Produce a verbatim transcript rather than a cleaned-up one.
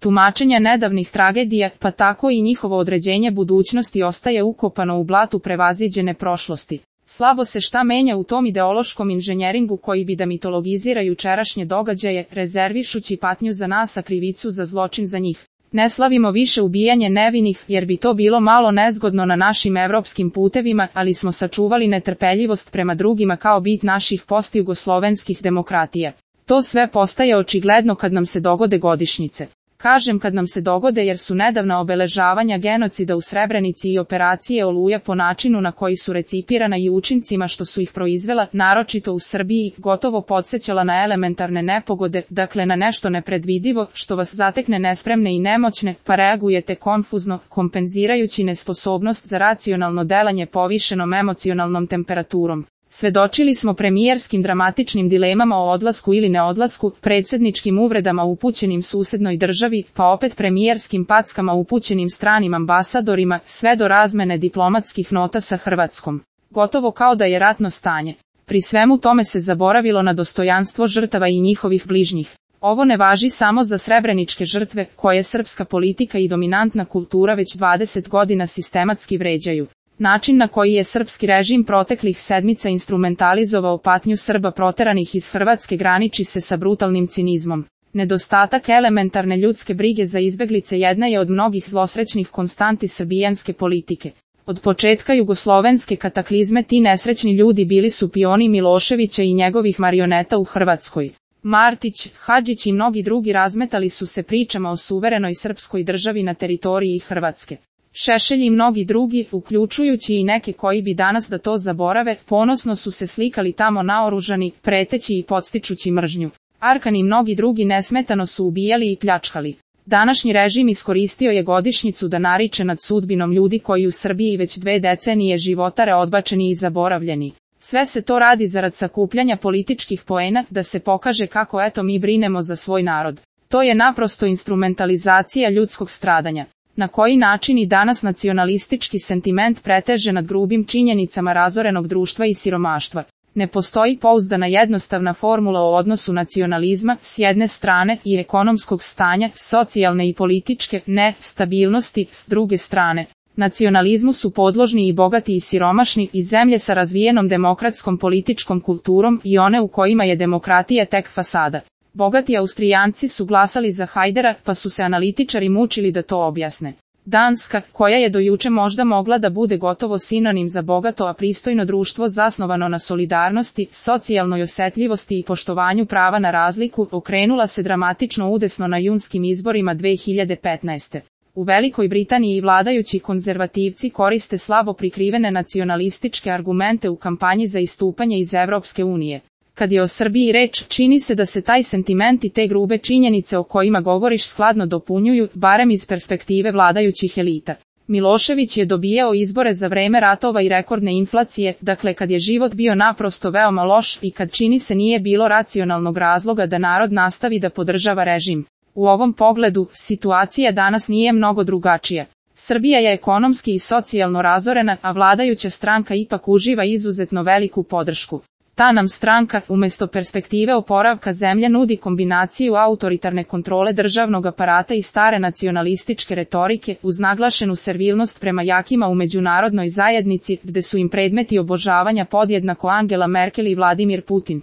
tumačenja nedavnih tragedija, pa tako i njihovo određenje budućnosti ostaje ukopano u blatu prevaziđene prošlosti. Slabo se šta menja u tom ideološkom inženjeringu koji bi da mitologizira jučerašnje događaje, rezervišući patnju za nas, a krivicu za zločin za njih. Ne slavimo više ubijanje nevinih, jer bi to bilo malo nezgodno na našim evropskim putevima, ali smo sačuvali netrpeljivost prema drugima kao bit naših postjugoslovenskih demokratija. To sve postaje očigledno kad nam se dogode godišnjice. Kažem kad nam se dogode jer su nedavna obeležavanja genocida u Srebrenici i operacije Oluja po načinu na koji su recipirana i učincima što su ih proizvela, naročito u Srbiji, gotovo podsjećala na elementarne nepogode, dakle na nešto nepredvidivo, što vas zatekne nespremne i nemoćne, pa reagujete konfuzno, kompenzirajući nesposobnost za racionalno delanje povišenom emocionalnom temperaturom. Svedočili smo premijerskim dramatičnim dilemama o odlasku ili neodlasku, predsjedničkim uvredama upućenim susednoj državi, pa opet premijerskim packama upućenim stranim ambasadorima, sve do razmene diplomatskih nota sa Hrvatskom. Gotovo kao da je ratno stanje. Pri svemu tome se zaboravilo na dostojanstvo žrtava i njihovih bližnjih. Ovo ne važi samo za srebreničke žrtve, koje srpska politika i dominantna kultura već dvadeset godina sistematski vređaju. Način na koji je srpski režim proteklih sedmica instrumentalizovao patnju Srba proteranih iz Hrvatske graniči se sa brutalnim cinizmom. Nedostatak elementarne ljudske brige za izbeglice jedna je od mnogih zlosrećnih konstanti srbijanske politike. Od početka jugoslovenske kataklizme ti nesrećni ljudi bili su pioni Miloševića i njegovih marioneta u Hrvatskoj. Martić, Hadžić i mnogi drugi razmetali su se pričama o suverenoj srpskoj državi na teritoriji Hrvatske. Šešelj i mnogi drugi, uključujući i neke koji bi danas da to zaborave, ponosno su se slikali tamo naoružani, preteći i podstičući mržnju. Arkan i mnogi drugi nesmetano su ubijali i pljačkali. Današnji režim iskoristio je godišnjicu da nariče nad sudbinom ljudi koji u Srbiji već dve decenije životare odbačeni i zaboravljeni. Sve se to radi zarad sakupljanja političkih poena, da se pokaže kako eto mi brinemo za svoj narod. To je naprosto instrumentalizacija ljudskog stradanja. Na koji način i danas nacionalistički sentiment preteže nad grubim činjenicama razorenog društva i siromaštva. Ne postoji pouzdana jednostavna formula o odnosu nacionalizma, s jedne strane, i ekonomskog stanja, socijalne i političke, ne, stabilnosti, s druge strane. Nacionalizmu su podložni i bogati i siromašni, i zemlje sa razvijenom demokratskom političkom kulturom i one u kojima je demokratija tek fasada. Bogati Austrijanci su glasali za Hajdera, pa su se analitičari mučili da to objasne. Danska, koja je do juče možda mogla da bude gotovo sinonim za bogato a pristojno društvo zasnovano na solidarnosti, socijalnoj osjetljivosti i poštovanju prava na razliku, okrenula se dramatično udesno na junskim izborima dve hiljade petnaeste. U Velikoj Britaniji vladajući konzervativci koriste slabo prikrivene nacionalističke argumente u kampanji za istupanje iz Evropske unije. Kad je o Srbiji reč, čini se da se taj sentiment i te grube činjenice o kojima govoriš skladno dopunjuju, barem iz perspektive vladajućih elita. Milošević je dobijao izbore za vreme ratova i rekordne inflacije, dakle kad je život bio naprosto veoma loš i kad čini se nije bilo racionalnog razloga da narod nastavi da podržava režim. U ovom pogledu, situacija danas nije mnogo drugačija. Srbija je ekonomski i socijalno razorena, a vladajuća stranka ipak uživa izuzetno veliku podršku. Ta nam stranka, umjesto perspektive oporavka zemlje, nudi kombinaciju autoritarne kontrole državnog aparata i stare nacionalističke retorike, uz naglašenu servilnost prema jakima u međunarodnoj zajednici, gde su im predmeti obožavanja podjednako Angela Merkel i Vladimir Putin.